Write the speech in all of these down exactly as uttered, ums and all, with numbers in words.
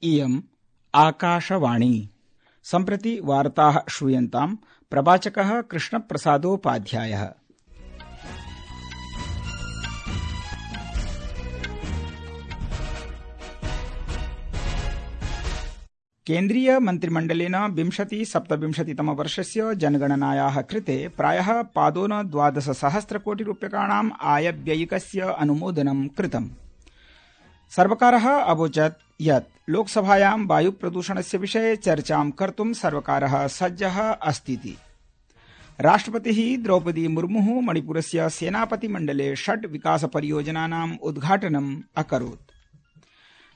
इयम् आकाशवाणी। सम्प्रति वार्ताः श्रूयन्ताम्। प्रवाचकः कृष्णप्रसादोपाध्यायः। केन्द्रीय मन्त्रिमण्डलेन विंशति सप्तविंशतितम वर्षस्य जनगणनायाः कृते प्रायः पादोन द्वादश सहस्र कोटि रूप्यकाणाम् आयव्ययिकस्य अनुमोदनं कृतम्। सर्वकारः अवोचत् यत् लोकसभायां वायु प्रदूषणस्य विषये चर्चां कर्तुं सर्वकारः सज्जः अस्तीति। राष्ट्रपतिः द्रौपदी मुर्मुः मणिपुरस्य सेनापतिमण्डले षड् विकास परियोजनानाम् उद्घाटनम् अकरोत्।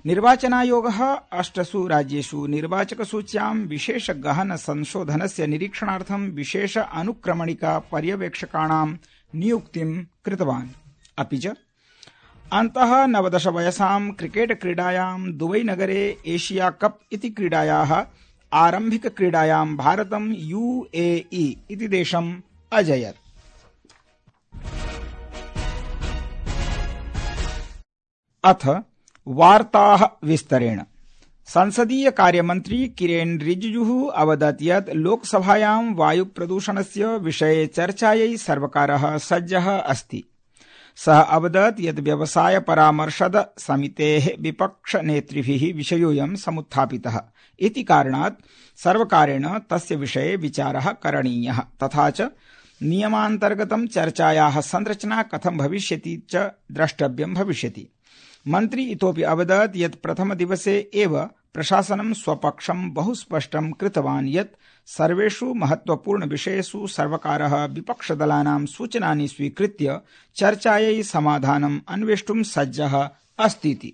निर्वाचनायोगः अष्टसु राज्येषु निर्वाचकसूच्यां विशेष गहन संशोधनस्य निरीक्षणार्थं विशेष अनुक्रमणिका पर्यवेक्षकाणां नियुक्तिं कृतवान्। अपि च अन्तः नवदश वयसां क्रिकेट क्रीडायां दुबई नगरे एशिया कप इति क्रीडायाः आरम्भिक क्रीडायां भारतं यूएई इति देशम् अजयत्। अथ वार्ताः विस्तरेण। संसदीय कार्यमन्त्री किरेन रिजिजुः अवदत् यत् लोकसभायां वायु प्रदूषणस्य विषये चर्चायै सर्वकारः सज्जः अस्ति। सः अवदत् यत् व्यवसाय परामर्शद समितेः विपक्ष नेतृभिः विषयोऽयं समुत्थापितः इति कारणात् सर्वकारेण तस्य विषये विचारः करणीयः तथा च नियमान्तर्गतं चर्चायाः संरचना कथं भविष्यति च द्रष्टव्यं भविष्यति। मन्त्री इतोपि अवदत् यत् प्रथमदिवसे एव प्रशासनं स्वपक्षं बहु स्पष्टं कृतवान् यत् सर्वेषु महत्वपूर्ण विषयेषु सर्वकारः विपक्षदलानां सूचनानि स्वीकृत्य चर्चायै समाधानम् अन्वेष्टुं सज्जः अस्तीति।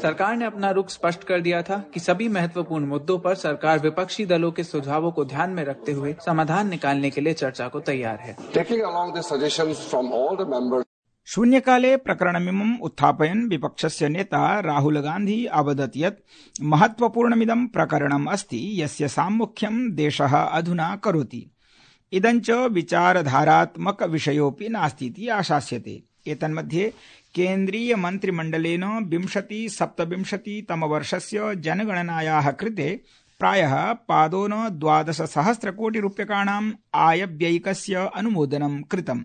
सरकार ने अपना रुख स्पष्ट कर दिया था कि सभी महत्वपूर्ण मुद्दों पर सरकार विपक्षी दलों के सुझावों को ध्यान में रखते हुए समाधान निकालने के लिए चर्चा को तैयार है। शून्यकाले प्रकरणमिमम् उत्थापयन् विपक्षस्य नेता राहुल गान्धी अवदत् यत् महत्वपूर्णमिदं प्रकरणम् अस्ति यस्य साम्मुख्यं देशः अधुना करोति। इदञ्च विचारधारात्मक विषयोऽपि नास्तीति आशास्यते। एतन्मध्ये केन्द्रीय मन्त्रिमण्डलेन विंशति सप्तविंशतितम वर्षस्य जनगणनायाः कृते प्रायः पादोन द्वादश सहस्र कोटि रूप्यकाणाम् आयव्ययिकस्य अनुमोदनं कृतम्।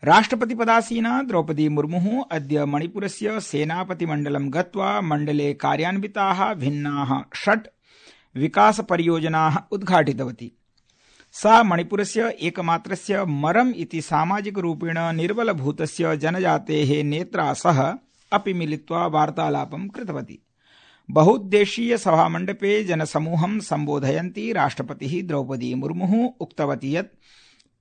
राष्ट्रपतिपदासीना द्रौपदी मुर्मुः अद्य मणिपुरस्य सेनापतिमण्डलं गत्वा मण्डले कार्यान्विताः भिन्नाः षट् विकास परियोजनाः उद्घाटितवती। सा मणिपुरस्य एकमात्रस्य मरम् इति सामाजिकरूपेण निर्बलभूतस्य जनजातेः नेत्रा सह अपि मिलित्वा वार्तालापं कृतवती। बहुउद्देशीय सभामण्डपे जनसमूहं सम्बोधयन्ती राष्ट्रपतिः द्रौपदी मुर्मुः उक्तवती यत्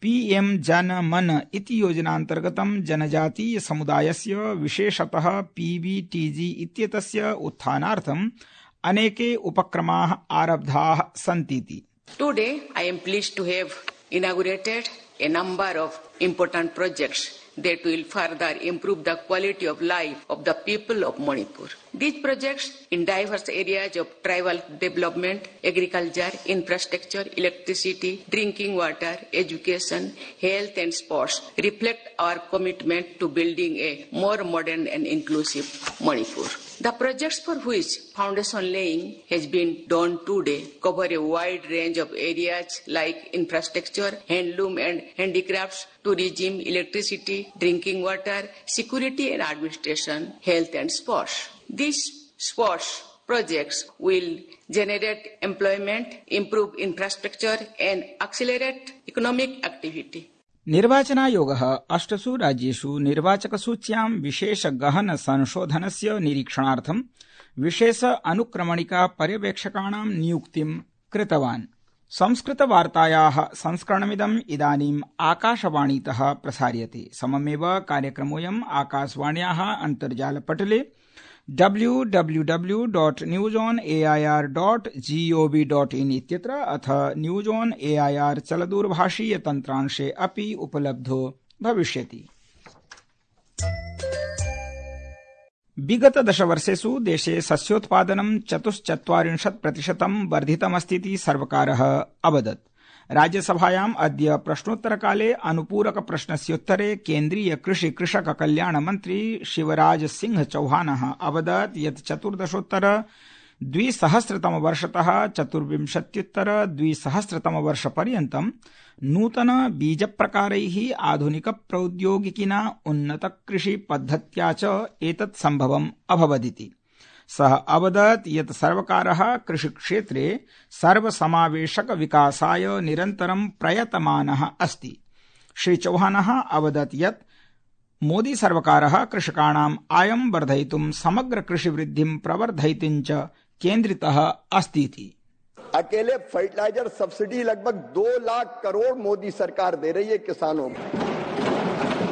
पीएम जन मन इति योजनान्तर्गतं जनजातीय समुदायस्य विशेषतः पीबीटीजी इत्येतस्य उत्थानार्थम् अनेके उपक्रमाः आरब्धाः सन्तीति। Today I am pleased to have inaugurated a number of important projects that will further improve the quality of life of the people of Manipur. These projects in diverse areas of tribal development, agriculture, infrastructure, electricity, drinking water, education, health and sports reflect our commitment to building a more modern and inclusive Manipur. The projects for which foundation laying has been done today cover a wide range of areas like infrastructure, handloom and handicrafts, tourism, electricity, drinking water, security and administration, health and sports. These sports projects will generate employment, improve infrastructure and accelerate economic activity. निर्वाचनायोगः अष्टसु राज्येषु निर्वाचकसूच्यां विशेष गहन संशोधनस्य निरीक्षणार्थं विशेष अनुक्रमणिका पर्यवेक्षकाणां नियुक्तिं कृतवान्। संस्कृतवार्तायाः संस्करणमिदम् इदानीम् आकाशवाणीतः प्रसार्यते। सममेव कार्यक्रमोऽयम् आकाशवाण्याः अन्तर्जालपटले W W W dot news on A I R dot G O V dot in इत्यत्र अथ news on A I R चलदूरभाषीय तन्त्रांशे अपि उपलब्धो भविष्यति। विगत दशवर्षेषु देशे सस्योत्पादनं चतुश्चत्वारिंशत् प्रतिशतं वर्धितमस्तीति सर्वकारः अवदत्। राज्यसभायाम् अद्य प्रश्नोत्तरकाले अनुपूरक प्रश्नस्योत्तरे केन्द्रीय कृषि कृषक कल्याण मन्त्री शिवराज सिंह चौहानः अवदत् यत् चतुर्दशोत्तर द्विसहस्रतम वर्षतः चतुर्विंशत्युत्तर द्विसहस्रतम वर्षपर्यन्तं नूतन बीजप्रकारैः आधुनिक प्रौद्योगिकिना उन्नत कृषि पद्धत्या च एतत् सम्भवम् अभवदिति। सः अवदत् यत् सर्वकारः कृषिक्षेत्रे सर्वसमावेशक विकासाय निरन्तरं प्रयतमानः अस्ति। श्री चौहानः अवदत् यत् मोदी सर्वकारः कृषकाणाम् आयं वर्धयितुं समग्र कृषिवृद्धिं प्रवर्धयितुं च केन्द्रितः अस्तीति। अकेले फर्टिलाइजर सब्सिडी लगभग दो लाख करोड़ मोदी सरकार दे रही है किसानों को।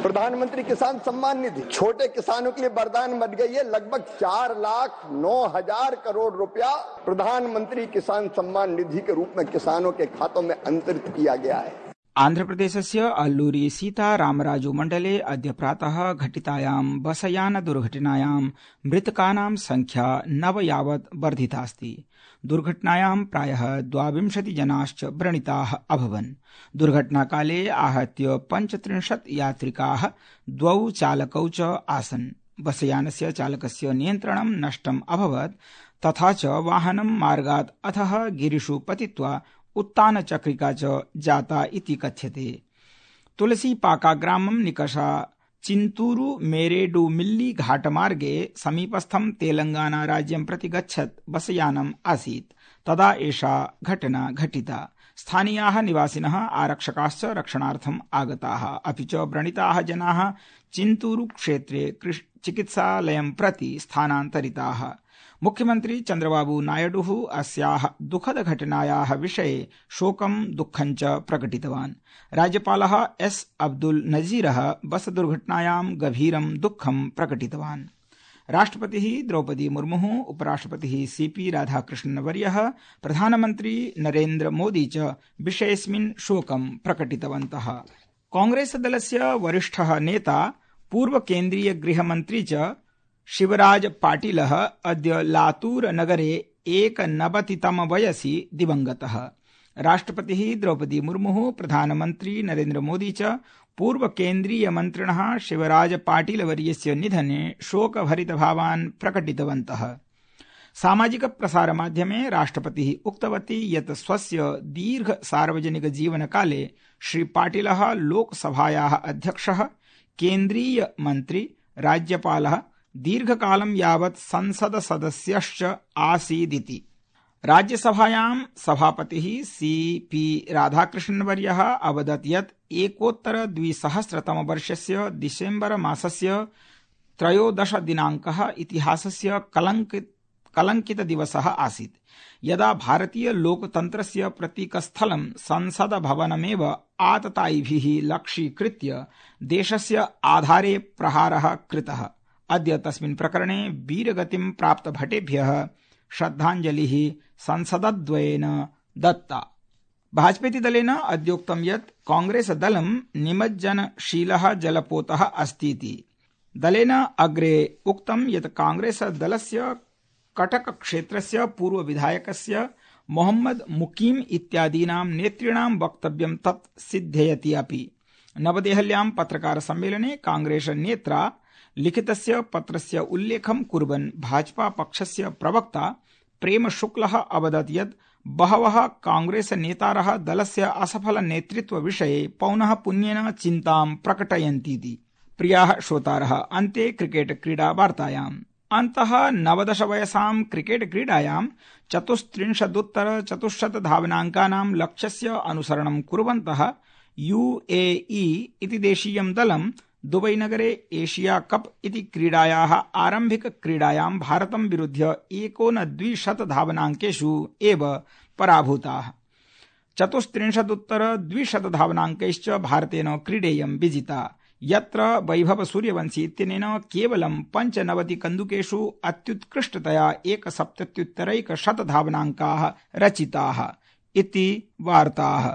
प्रधानमंत्री किसान सम्मान निधि छोटे किसानों के लिए वरदान बन गई है। लगभग चार लाख नौ हजार करोड़ रुपया प्रधानमंत्री किसान सम्मान निधि के रूप में किसानों के खातों में अंतरित किया गया है। आन्ध्रप्रदेशस्य अल्लूरी सीतारामराजू मण्डले अद्य प्रातः घटितायां बसयान दुर्घटनायां मृतकानां संख्या नव यावत् वर्धितास्ति। दुर्घटनायां प्रायः द्वाविंशति जनाश्च व्रणिताः अभवन्। दुर्घटनाकाले आहत्य पञ्चत्रिंशत् यात्रिकाः द्वौ चालकौ च आसन्। बसयानस्य चालकस्य नियन्त्रणं नष्टम् अभवत् तथा च वाहनं मार्गात् अधः गिरिषु पतित्वा उत्तानचक्रिका च जाता इति कथ्यते। तुलसीपाका ग्रामं निकषा चिन्तूरु मेरेडुमिल्ली घाटमार्गे समीपस्थं तेलंगाना राज्यं प्रति गच्छत् बसयानम् आसीत्। तदा एषा घटना घटिता। स्थानीयाः निवासिनः आरक्षकाश्च रक्षणार्थम् आगताः, अपि च व्रणिताः जनाः चिन्तूरु क्षेत्रे चिकित्सालयं प्रति स्थानान्तरिताः। मुख्यमंत्री चंद्रबाबू नायडुः अस्याः दुःखद घटनायाः विषये शोकं दुःखं च प्रकटितवान्। राज्यपालः एस अब्दुल नजीरः बस दुर्घटनायां गभीरं दुःखं प्रकटितवान्। राष्ट्रपतिः द्रौपदी मुर्मुः, उपराष्ट्रपतिः सीपी राधाकृष्णन्वर्यः, प्रधानमन्त्री नरेन्द्र मोदी च विषयेऽस्मिन् शोकं प्रकटितवन्तः। कांग्रेस दलस्य वरिष्ठः नेता पूर्व केन्द्रीय गृहमन्त्री च शिवराज पाटिलः अद्य लातूर नगरे एकनवतितम वयसि दिवंगतः। राष्ट्रपतिः द्रौपदी मुर्मुः, प्रधानमन्त्री नरेन्द्र मोदी च पूर्व केन्द्रीय मन्त्रिणः शिवराज पाटिलवर्यस्य निधने शोकभरितभावान् प्रकटितवन्तः। सामाजिक प्रसारमाध्यमे राष्ट्रपतिः उक्तवती यत् स्वस्य दीर्घ सार्वजनिक जीवनकाले श्री पाटिलः लोकसभायाः अध्यक्षः, केन्द्रीय मन्त्री, राज्यपालः, दीर्घकालं यावत् संसद सदस्यश्च आसीदिति। राज्यसभायां सभापतिः सीपी राधाकृष्णन्वर्यः अवदत् यत् एकोत्तर द्विसहस्रतम वर्षस्य डिसेम्बर मासस्य त्रयोदश दिनाङ्कः इतिहासस्य कलङ्कित कलङ्कित दिवसः आसीत्, यदा भारतीय लोकतन्त्रस्य प्रतीकस्थलं संसद भवनमेव आततायिभिः लक्ष्यीकृत्य देशस्य आधारे प्रहारः कृतः। अद्य तस्मिन् प्रकरणे वीरगतिं प्राप्त भटेभ्यः श्रद्धाञ्जलिः संसदद्वयेन दत्ता। भाजपेति दलेन अद्योक्तं यत् कांग्रेस दलं निमज्जनशीलः जलपोतः अस्तीति। दलेन अग्रे उक्तं यत् कांग्रेस दलस्य कटक क्षेत्रस्य पूर्व विधायकस्य मोहम्मद मुकीम इत्यादीनां नेतॄणां वक्तव्यं तत् सिद्धयति अपि। नवदेहल्यां पत्रकार सम्मेलने कांग्रेस नेत्रा लिखितस्य पत्रस्य उल्लेखं कुर्वन् भाजपा पक्षस्य प्रवक्ता प्रेम शुक्लः अवदत् यत् बहवः कांग्रेस नेतारः दलस्य असफल नेतृत्व विषये पौनः पुन्येन चिन्तां प्रकटयन्तीति। प्रियाः श्रोतारः, अन्ते क्रिकेट क्रीडा वार्तायाम्। अन्तः नवदश वयसां क्रिकेट क्रीडायां चतुस्त्रिंशदुत्तर चतुश्शत धावनाङ्कानां लक्ष्यस्य अनुसरणं कुर्वन्तः यूएई इति देशीयं दलं दुबई नगरे एशिया कप इति क्रीडायाः आरम्भिक क्रीडायां भारतं विरुध्य एकोनद्विशत धावनाङ्केषु एव पराभूताः। चतुस्त्रिंशदुत्तर द्विशत धावनाङ्कैश्च भारतेन क्रीडेयं विजिता, यत्र वैभव सूर्यवंशी इत्यनेन केवलं पञ्चनवति कन्दुकेषु अत्युत्कृष्टतया एकसप्तत्युत्तरैकशत धावनाङ्काः रचिताः इति वार्ताः।